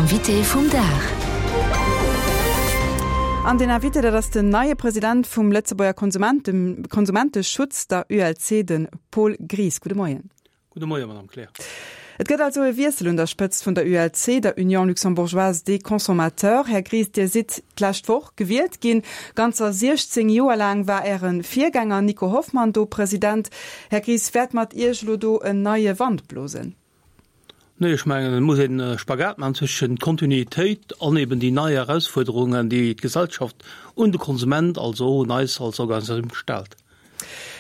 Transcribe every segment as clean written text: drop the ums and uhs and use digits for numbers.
Invité vum Dag. An den Invité, dat ass den neie President vum Lëtzebuerger Konsumenteschutz, der ULC, de Paul Gries. Gudde Moien. Gudde Moien, Madame Kleer. Et gëtt also e Wiessel un der Spëtzt vun der ULC, der Union Luxembourgeoise des Consommateurs. Här Gries, Dir sidd d'lescht Woch gewielt ginn. Ganzer 16 Joer laang war Äre Virgänger Nico Hoffmann do President. Här Gries, wäert mat Iech elo do en neie Wand blosen? Nee, ech mengen, et muss een e Spagat maachen zwëschen Kontinuitéit an eben déi nei Erausfuerderungen, déi d'Gesellschaft un de Konsument, also och un eis als Organisatioun stellt.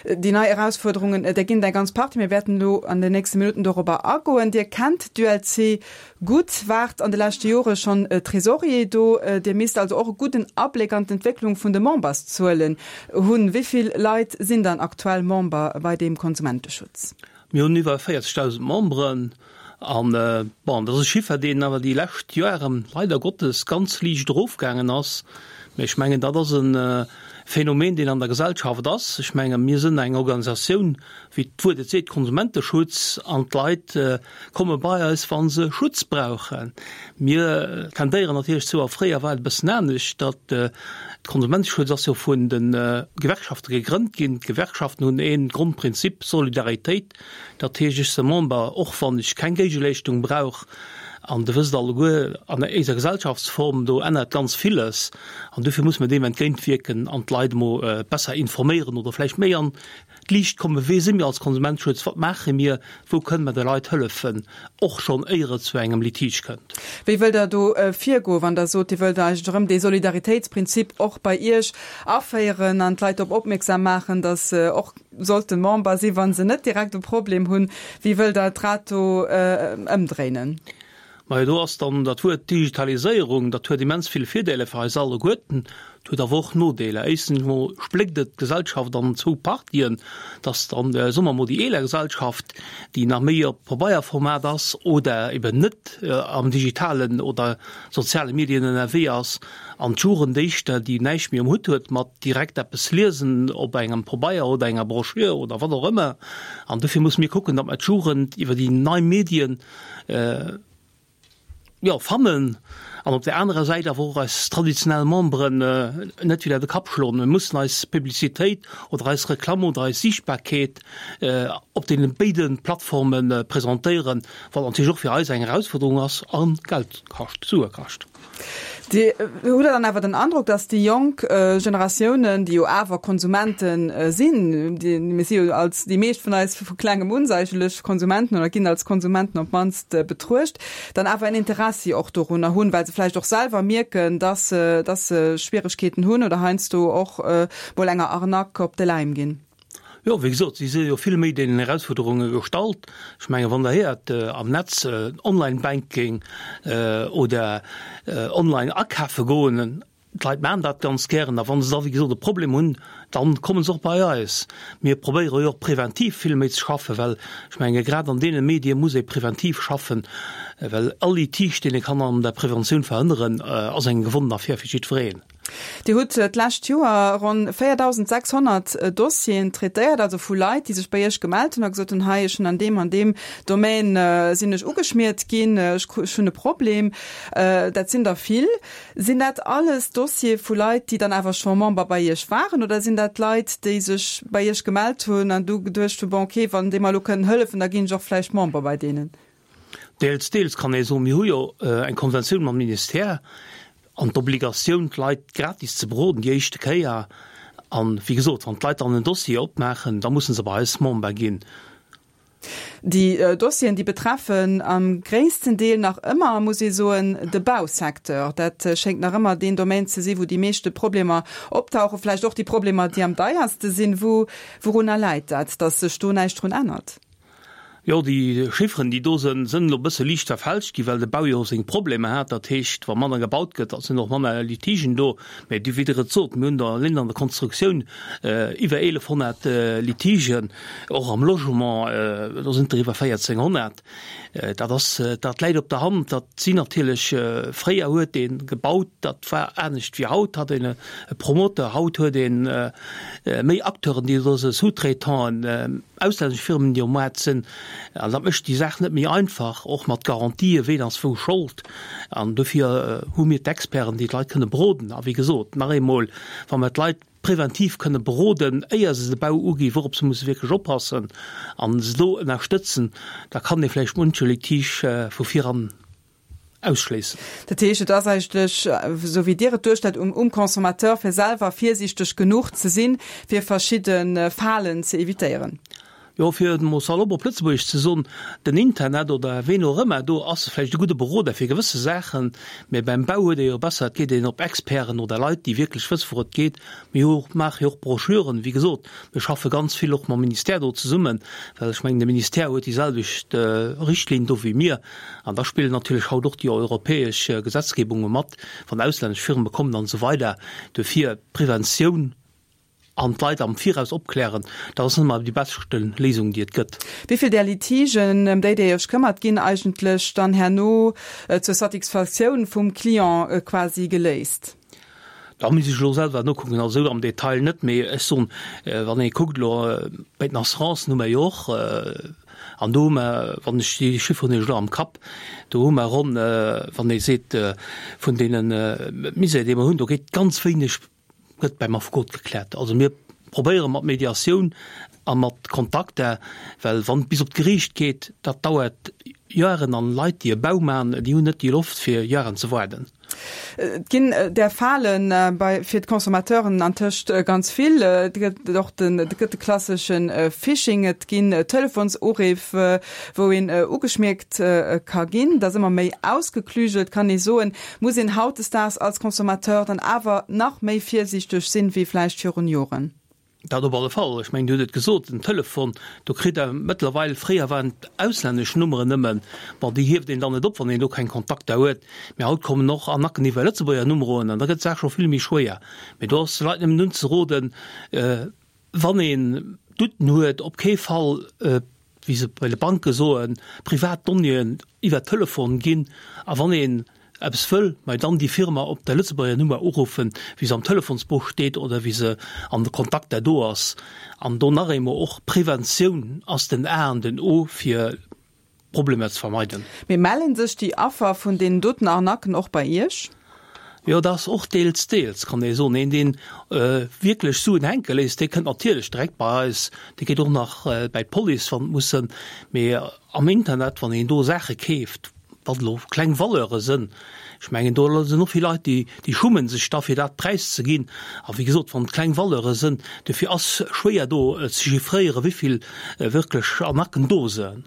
Déi nei Erausfuerderungen, där ginn et eng ganz Partie. Mir wäerten elo an den nächste Minutten dorobber agoen. Dir kennt d'ULC gutt, waart an de leschte Jore schonn Trésorier do. Dir misst also och e gudden Abléck an d'Entwécklung vun de Memberszuelen hunn. Wéi vill Leit sinn dann aktuell Member bei deem Konsumenteschutz? Mir hunn iwwer 40.000 Memberen an, bon, dat ass e Chiffer, deen awer déi lescht Joeren leider Gottes ganz liicht erofgaangen ass. Mä ech mengen, dat ass e Phänomen, deen an der Gesellschaft ass. Ech menge mir sinn eng Organisatioun, wéi d'Wuert et seet, Konsumenteschutz, an d'Leit komme bei eis, wa se Schutz brauchen. Mir tendéieren natierlech zou, a fréier war et e bëssen anescht, datt Konsumenteschutz ass jo vun de Gewerkschafte gegrënnt ginn. D'Gewerkschaften hunn ee Grondprinzip, Solidaritéit. Dat heescht, ech si Member, och wann ech keng Géigeleeschtung brauch. An Der wësst alleguer, an éiser Gesellschaftsform, do ännert ganz villes. An dofir muss mer deem entgéintwierken an d'Leit emol besser informéieren oder vläicht méi an d'Liicht kommen, Wee si mir als Konsumenteschutz, wat maache mir, wou kënne mer de Leit hëllefen, och schonn éier et zu engem Litige kënnt. Wéi wëllt Der do virgoen, wann Der sot, Dir wëllt eigentlech erëm dee Solidaritéitsprinzip och bei Iech aféieren an d'Leit drop opmierksam maachen, datt se och sollte Member sinn, wa se net direkt e Problem hunn? Wéi wëllt Der d'Rad do ëmdréinen? Majo, do ass dann dat Wuert Digitaliséierung, dat huet immens vill Virdeeler fir eis alleguerten, et huet awer och Nodeeler. Éischstens emol spléckt et d'Gesellschaft an zwou Partien, dass dann, soe mer emol, déi eeler Gesellschaft, déi nach méi op Pabeierformat ass oder eben net am digitalen oder soziale Medien ënnerwee ass, an d'Jugend éischter, déi näischt méi um Hutt huet mat direkt eppes liesen op engem Pabeier oder enger Broschür oder wat och ëmmer. An dofir musse mir kucken, datt mer d'Jugend iwwer déi nei Medien, jo, fannen an op där anerer Säit awer och eis traditionell Memberen net widder de Kapp schloen. Mir mussen eis Publicitéit oder eis Reklamm oder eis Siichtbarkeet op deene béide Plattforme presentéieren, wat natierlech och fir eis eng Erausforderung ass a Geld kascht, Sue kascht. Dir hutt Der dann awer den Androck, datt déi jonk Generatiounen, déi jo awer Konsumente sinn, déi, mir si jo als, déi meescht vun eis vu klengem un seicherlech Konsumenten oder ginn als Konsumenten op d'mannst betruecht, dann awer en Interessi och dorunner hunn, well se vläicht och selwer mierken, datt se, datt se Schwieregkeeten hunn oder heiansdo och mol enger Arnaque op de Läim ginn? Jo, wéi gesot, si si jo vill méi deenen Erausfuerderunge gestallt. Ech mengen, wann Der héiert am Netz Online-Banking oder online akafe goen, d'Leit maachen dat ganz gären. A wa se da, wéi gesot, e Problem hunn, da komme se och bei eis. Mir probéiere jo och preventiv vill méi ze schaffen, well ech menge grad an deene Medie muss ee preventiv schaffen, well all Litige, deen ee kann an der Preventioun verhënneren, ass eng gewonnen Affär fir jiddwereen. Dir hutt d'lescht Joer ronn 4.600 Dossieren traitéiert, also vu Leit, déi sech bei Iech gemellt hunn a gesot hunn, hei, ech hunn an deem an deem Domaine sinn ech ugeschmiert ginn, ech hunn e Problem. Dat sinn der vill. Sinn dat alles Dossiere vu Leit, déi dann awer scho Member bei Iech waren oder sinn dat Leit, déi sech bei Iech gemellt hunn an du geduecht hunn, bon okay, wann déi mer elo kënnen hëllefen, da ginn ech och vläicht Member bei deenen? Deels, deels kann ee soen. Mir hu jo eng Konventioun mam Ministère an d'Obligatioun, d'Leit gratis ze beroden déi éischte Kéier. An, wéi gesot, wann d'Leit dann en Dossier opmaachen, da musse se bei eis Member ginn. Déi Dossieren, déi betreffen am gréissten Deel nach ëmmer, muss ee soen, de Bausecteur. Dat schéngt nach ëmmer deen Domaine ze sinn, wou déi meeschte Problemer optauchen, vläicht och déi Problemer, déi am deierste sinn. Wou, wourunner läit dat, datt sech do näischt drun ännert? Jo, déi Chifferen, déi do sënn, sënn elo e bësse liicht verfälscht ginn, well de Bau jo seng Problemer hat. Dat heescht, wa manner gebaut gëtt, da sinn och manner Litigen do. Mä wéi Der et sot, mir hunn der eleng an der Konstruktioun iwwer 1.100 Litigen, och am Logement, do sinn et der iwwer 1.400. Dat ass, dat läit op der Hand. Dat sinn natierlech, fréier huet ee gebaut, dat war anescht wéi haut, hat een e Promoteur, haut huet ee méi Acteuren, déi do sou Sous-traitanten, Auslännesch Firmen, déi um Maart sinn. An dat mécht déi Saach net méi einfach, och mat Garantien, ween ass wou Schold. An dofir hu mir d'Experten, déi d'Leit kënne beroden. A wéi gesot, nach eemol, wa mer d'Leit preventiv kënne beroden, éier se de Bau uginn, wourop se musse wierklech oppassen a se do ënnerstëtzen, da kann ee vläicht munche Litige vu viran ausschléissen. Dat heescht, et ass eigentlech, esou wéi Dir et duerstellt, um Consommateur, fir selwer virsiichteg genuch ze sinn, fir verschidde Falen ze evitéieren. Jo, fir et emol salopp op Lëtzebuergesch ze soen, den Internet oder ween och ëmmer do ass vläicht e gudde Beroder fir gewësse Saachen, mä beim Bau huet ee jo besser, et geet een op Experten oder Leit, déi wierklech wësse wou et geet. Mir hu maache jo och Broschüren, wéi gesot, mir schaffe ganz vill och mam Ministère do zesummen, well ech mengen, de Ministère huet déi selwecht Richtlinn do wéi mir. An da spillen natierlech haut och déi europäesch Gesetzgebunge mat, wann auslännesch Firme kommen an esou weider. Dofir Preventioun. An d'Leit am Viraus opklären, dat ass net ëmmer déi beschte Léisung, déi et gëtt. Wéi vill där Litigen, ëm déi Dir Iech këmmert, ginn eigentlech dann herno zur Satisfaktioun vum Client quasi geléist? Da misst ech elo selwer nokucken, also esou am Detail net, mee ech soen, wann ee kuckt elo bei den Assurancen hu mer jo och, an do hu mer, wann ech déi Chifferen hunn ech elo am Kapp, do hu mer ronn, wann ee seet vun deene Misär, déi mer hunn, do geet ganz wéineg gëtt beim Affekot gekläert. Also mir probéiere mat Mediatioun a mat Kontakter, well wann et bis op d'Geriicht geet, dat dauert Joeren an Leit déi e Bau maachen, déi hunn net déi Loft fir Joeren ze waarden. Et ginn där Fale bei fir d'Consommateuren antëscht ganz vill. Et gëtt och den, et gëtt de klassesche Phishing, et ginn Telefonsuriff, wou een ugeschmierkt ka ginn. Dat ass ëmmer méi ausgeklügelt, kann ee soen. Muss een hautdesdaags als Consommateur dann awer nach méi virsiichteg sinn, wéi vläicht virun Joren? Dat op alle Fall. Ech mengen, Dir hutt et gesot, den Telefon, do kritt Der mëttlerweil, fréier waren et auslännesch Nummeren nëmmen, bon, déi hieft een dann net op, wann een do keng Kontakter huet, mä haut kommen och Arnacken iwwer Lëtzebuerger Numeroen an da gëtt d'Saach scho vill méi schwéier. Mee do ass de Leit nëmmen unzeroden, wann een Douten huet, op kee Fall, wéi se bei de Banke soen, privat Donnéeën iwwer Telefon ginn. A wann een eppes wëll, ma dann déi Firma op der Lëtzebuerger Nummer uruffen, wéi se am Telefonsbuch steet oder wéi se an de Kontakter do ass. An do nach eemol, och Preventioun ass den A an den O fir Problemer ze vermeiden. Mee mellen sech déi Affer vun deenen doten Arnaquen och bei Iech? Jo, dat ass och deels, deels, kann ee soen. Een, deen wierklech Suen hänke léisst, dee kënnt natierlech direkt bei eis. Dee geet och nach bäi d'Police, wann et muss sënn. Mee am Internet, wann een do Saache keeft, wat elo kleng Valeure sënn, ech mengen, do sinn och vill Leit, déi, déi schummen sech da fir dat Präis ze ginn. A wéi gesot, wann et kleng Valeure sënn, dofir ass schwéier do ze chiffréieren, wéi vill wierklech Arnaquen do sënn.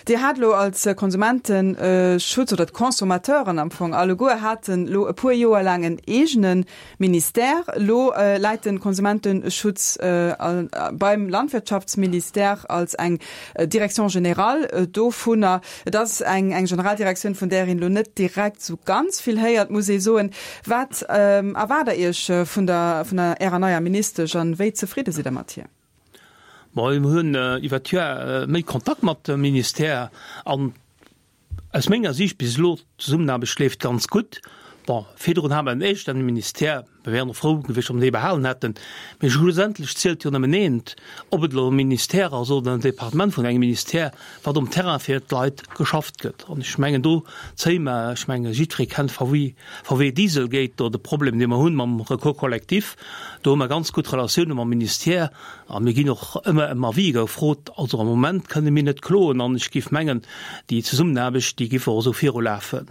Dir hat elo als Konsumenteschutz, oder d'Consommateuren am Fong alleguer, haten elo e puer Joer laang en eegene Ministère. Elo läit de Konsumenteschutz beim Landwirtschaftsministère als eng Direction générale dovunner. Et ass eng Generaldirektioun, vun där een elo net direkt esou ganz vill héiert, muss ee soen. Wat erwaart Der Iech vun der Ärer neier Ministesch an wéi zefridde sidd Der mat hir? Bon, mir hunn iwwer d'Joer méi Kontakt mat dem Ministère an aus menger Siicht bis elo, d'Zesummenaarbecht leeft ganz gutt. Bon, virdrun hate mer en eegenen Ministère, mir wären och frou gewiescht, wa mer dee behalen hätten, mee schlussendlech zielt jo nëmmen eent, ob et elo e Ministère ass oder en Departement vun engem Ministère, wat um Terrain fir d'Leit geschafft gëtt. An ech mengen, do zéie mer, ech menge jiddweree kennt VW, VW Dieselgate, do de Problem, dee mer hunn mam Recours collectif, do hu mer ganz gutt Relatioune mam Ministère a mir ginn och ëmmer ëm Avis gefrot. Also am Moment kënne mir net kloen an ech géif mengen, déi Zesummenaarbecht, déi géif och esou virulafen.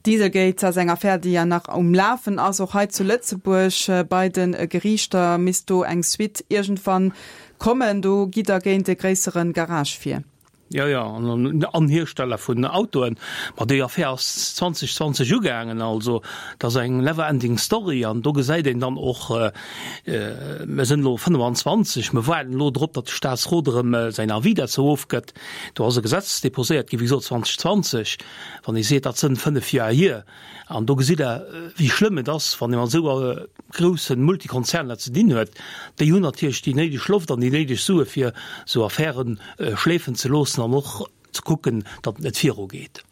Dieselgate ass eng Affär, déi ja nach um Lafen ass, och hei zu Lëtzebuerg. Bei de Geriichter misst do eng Suite iergendwann kommen. Do gitt Der géint e gréissere Garage vir. Jo, jo, an Hiersteller vun Autoen. Ma déi Affär ass 2020 ugaangen, also dat ass eng never ending story. An do gesäit een dann och, mir sinn elo 25, mir waarden elo drop, datt de Staatsrot erëm säin Avis derzou ofgëtt. Do ass e Gesetz deposéiert ginn, wéi gesot 2020, wann ee seet, dat sënn 5 Joer hier. An do gesitt Der, wéi schlëmm et ass, wann ee mat esou grousse Multikonzerner ze dinn huet. Déi hunn natierlech déi néideg Loft an déi néideg Sue fir esou Affäre schleefen ze loossen an och ze kucken, datt et net virugeet.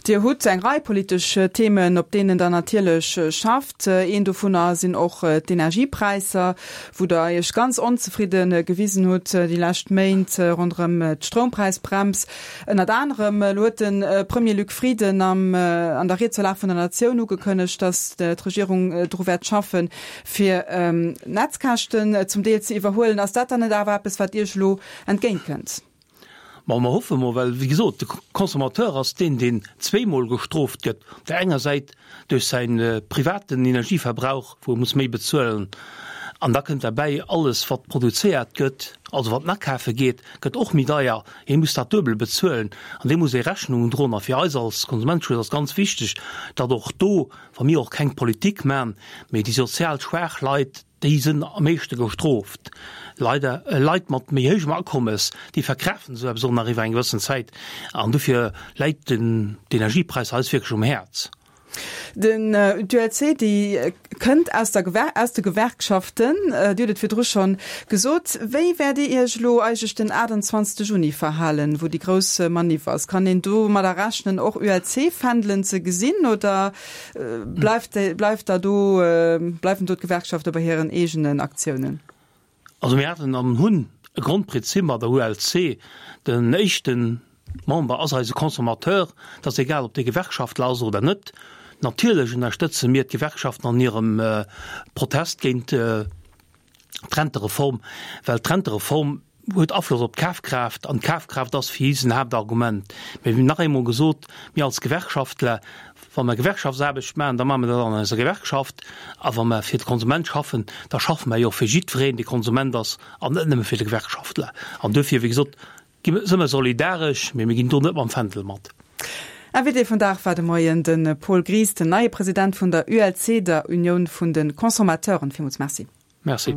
Dir hutt eng Rei politesch Themen, op deenen Der natierlech schafft. Een dovunner sinn och d'Energiepräisser, wou Der Iech ganz onzefridde gewisen hutt déi lescht Méint ronderëm d'Stroumpräisbrems ënnert anerem. Elo huet de Premier Luc Frieden am an der Ried zur Lag vun der Natioun ugekënnegt, datt d'Regierung dru wäert schaffen, fir d'Netzkäschten zum Deel ze iwwerhuelen. Ass dat dann net awer eppes, wat Iech elo entgéintkënnt? Ma mer hoffe mol, well wéi gesot, de Consommateur ass deen, deen zweemol gestrooft gëtt, op där enger Säit duerch säi privaten Energieverbrauch, wou e muss méi bezuelen, an da kënnt derbäi, alles wat produzéiert gëtt, also wat en akafe geet, gëtt och méi deier, hie muss dat duebel bezuelen an deem muss ee Rechnung droen. A fir eis als Konsumenteschutz ass ganz wichteg, datt och do, wa mir och keng Politik man, mee déi sozial schwaach Leit, Déi sënn am meeschte gestrooft. Leider, Leit mat méi héijem Akommes, déi verkraaften esou eppes och nach iwwer eng gewëssen Zäit. An dofir läit den d'Energiepräisser eis wierklech um Häerz. Den d'ULC, déi kënnt aus der Gewer aus de Gewerkschaften. Dir hutt et virdru schonn gesot. Wéi wäert Dir Iech elo eigentlech den 28 Juni verhalen, wou déi grouss Maniff ass? Kann een domadder rechnen, och ULC-Fändelen ze gesinn oder Bleift, bleift da do, bleiwen do d'Gewerkschafte bei hiren eegenen Aktiounen? Also mir haten an hunn e Grondprinzip mat der ULC, Den éischte Member ass eise Consommateur. Et ass egal, ob dee Gewerkschaftler ass oder net. Natierlech ënnerstëtze mir d'Gewerkschaften an hirem Protest géint d'Rentereform, well d'Rentereform huet Afloss op d'Kafkraaft an d'Kafkraaft ass fir si en Haaptargument. Mee wéi nach eemol gesot, mir als Gewerkschaftler, wa mer Gewerkschaftsaarbecht maachen, da maache mer dat an eiser Gewerkschaft a wa mer fir de Konsument schaffen, da schaffe mer jo och fir jiddwereen, dee Konsument ass an net nëmme fir de Gewerkschaftler. An duerfir, wéi gesot, gi si mer solidaresch, mee mir ginn do net mam Fändel mat. Invité vum Dag war de Moien de Paul Gries, den neie President vun der ULC, der Unioun vun de Consommateuren. Villmools Merci. Merci.